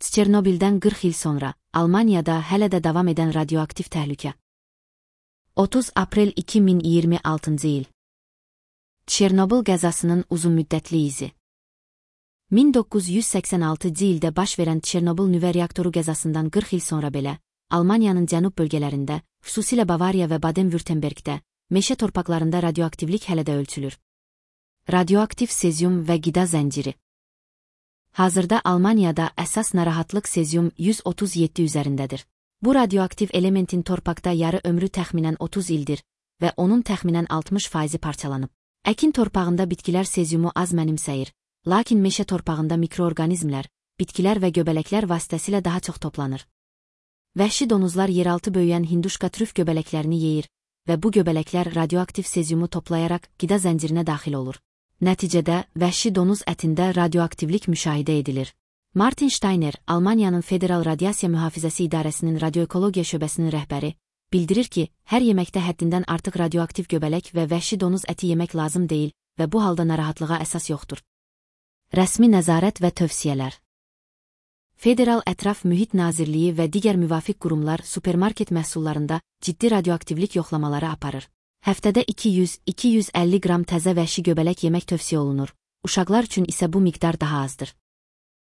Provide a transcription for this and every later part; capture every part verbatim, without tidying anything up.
Çernobildən qırx il sonra Almaniyada hələ də davam edən radioaktiv təhlükə. otuz aprel iki min iyirmi altıncı il. Çernobil qəzasının uzunmüddətli izi. min doqquz yüz səksən altıncı ildə baş verən Çernobil nüvə reaktoru qəzasından qırx il sonra belə, Almaniyanın cənub bölgələrində, xüsusilə Bavariya və Baden-Württembergdə, meşə torpaqlarında radioaktivlik hələ də ölçülür. Radioaktiv sezyum və qida zənciri. Hazırda Almaniyada əsas narahatlıq sezyum yüz otuz yeddi üzərindədir. Bu radioaktiv elementin torpaqda yarı ömrü təxminən otuz ildir və onun təxminən altmış faizi parçalanıb. Əkin torpağında bitkilər sezyumu az mənimsəyir, lakin meşə torpağında mikroorqanizmlər, bitkilər və göbələklər vasitəsilə daha çox toplanır. Vəhşi donuzlar yeraltı böyüyən hinduşka trüf göbələklərini yeyir və bu göbələklər radioaktiv sezyumu toplayaraq qida zəncirinə daxil olur. Nəticədə, vəhşi donuz ətində radioaktivlik müşahidə edilir. Martin Steiner, Almaniyanın Federal Radiasiya Mühafizəsi İdarəsinin radioekologiya şöbəsinin rəhbəri, bildirir ki, hər yeməkdə həddindən artıq radioaktiv göbələk və vəhşi donuz əti yemək lazım deyil və bu halda narahatlığa əsas yoxdur. Rəsmi nəzarət və tövsiyələr. Federal Ətraf Mühit Nazirliyi və digər müvafiq qurumlar supermarket məhsullarında ciddi radioaktivlik yoxlamaları aparır. Həftədə iki yüz - iki yüz əlli qram təzə vəhşi göbələk yemək tövsiyə olunur, uşaqlar üçün isə bu miqdar daha azdır.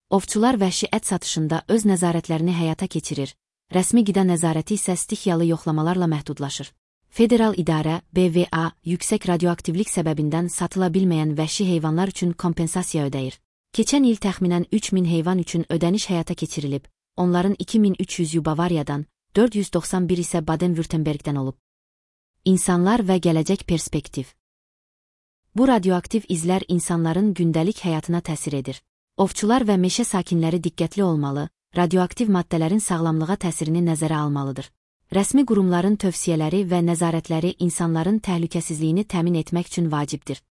Ovçular vəhşi ət satışında öz nəzarətlərini həyata keçirir, rəsmi qida nəzarəti isə stixiyalı yoxlamalarla məhdudlaşır. Federal İdarə, B V A, yüksək radioaktivlik səbəbindən satıla bilməyən vəhşi heyvanlar üçün kompensasiya ödəyir. Keçən il təxminən üç min heyvan üçün ödəniş həyata keçirilib, onların iki min üç yüzü Bavariyadan, dörd yüz doxsan bir isə Baden-Württembergdən olub. İnsanlar və gələcək perspektiv. Bu radioaktiv izlər insanların gündəlik həyatına təsir edir. Ovçular və meşə sakinləri diqqətli olmalı, radioaktiv maddələrin sağlamlığa təsirini nəzərə almalıdır. Rəsmi qurumların tövsiyələri və nəzarətləri insanların təhlükəsizliyini təmin etmək üçün vacibdir.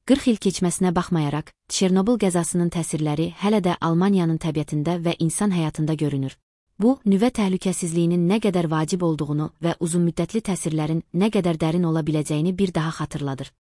qırx il keçməsinə baxmayaraq, Çernobil qəzasının təsirləri hələ də Almaniyanın təbiətində və insan həyatında görünür. Bu, nüvə təhlükəsizliyinin nə qədər vacib olduğunu və uzunmüddətli təsirlərin nə qədər dərin ola biləcəyini bir daha xatırladır.